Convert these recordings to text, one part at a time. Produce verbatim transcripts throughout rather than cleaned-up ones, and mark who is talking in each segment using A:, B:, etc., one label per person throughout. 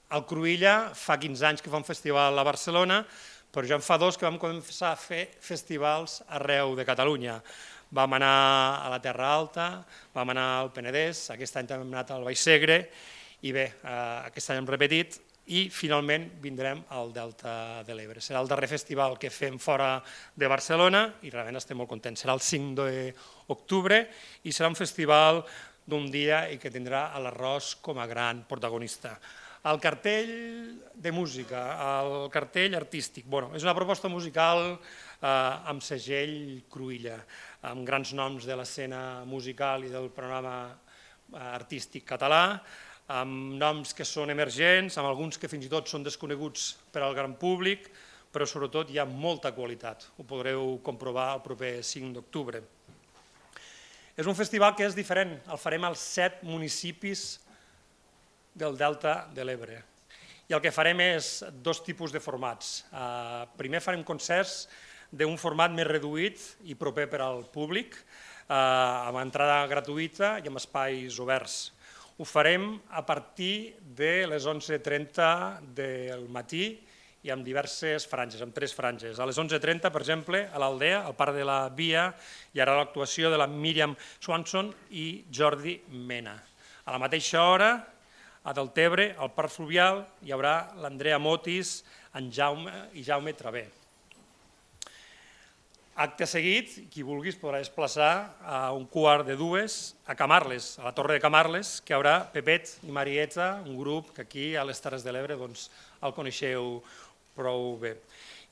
A: El Cruïlla fa quinze anys que fa un festival a Barcelona, però ja en fa dos que vam començar a fer festivals arreu de Catalunya. Vam anar a la Terra Alta, vam anar al Penedès, aquest any també hem anat al Baix Segre, i bé, aquest any hem repetit, i finalment vindrem al Delta de l'Ebre. Serà el darrer festival que fem fora de Barcelona i realment estem molt contents. Serà el cinc d'octubre i serà un festival d'un dia i que tindrà l'Arròs com a gran protagonista. El cartell de música, el cartell artístic, bueno, és una proposta musical amb segell Cruïlla, amb grans noms de l'escena musical i del panorama artístic català, amb noms que són emergents, amb alguns que fins i tot són desconeguts per al gran públic, però sobretot hi ha molta qualitat, ho podreu comprovar el proper cinc d'octubre. És un festival que és diferent, el farem als set municipis del Delta de l'Ebre. I el que farem és dos tipus de formats. Primer farem concerts d'un format més reduït i proper per al públic, amb entrada gratuïta i amb espais oberts. Ho farem a partir de les onze trenta del matí i amb diverses franges, amb tres franges. A les onze trenta, per exemple, a l'Aldea, al Parc de la Via, hi haurà l'actuació de la Míriam Swanson i Jordi Mena. A la mateixa hora, a Deltebre, al Parc Fluvial, hi haurà l'Andrea Motis i Jaume Traver. Acte seguit, qui vulgui es podrà desplaçar a un quart de dues a Camarles, a la Torre de Camarles, que hi haurà Pepet i Marieta, un grup que aquí a les Terres de l'Ebre el coneixeu prou bé.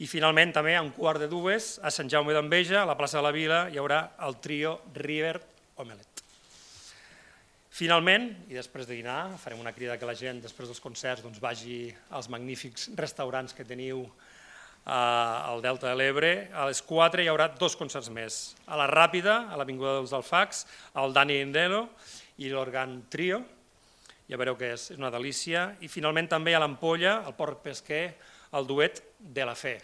A: I finalment també a un quart de dues a Sant Jaume d'Enveja, a la plaça de la Vila, hi haurà el trio River Omelet. Finalment, i després de dinar, farem una crida que la gent després dels concerts vagi als magnífics restaurants que teniu al Delta de l'Ebre. A les quatre hi haurà dos concerts més. A la Ràpida, a l'Avinguda dels Alfacs, el Dani Endelo i l'Organ Trio. Ja veureu que és una delícia. I finalment també a l'Ampolla, al Port Pesquer, el duet de la Fe.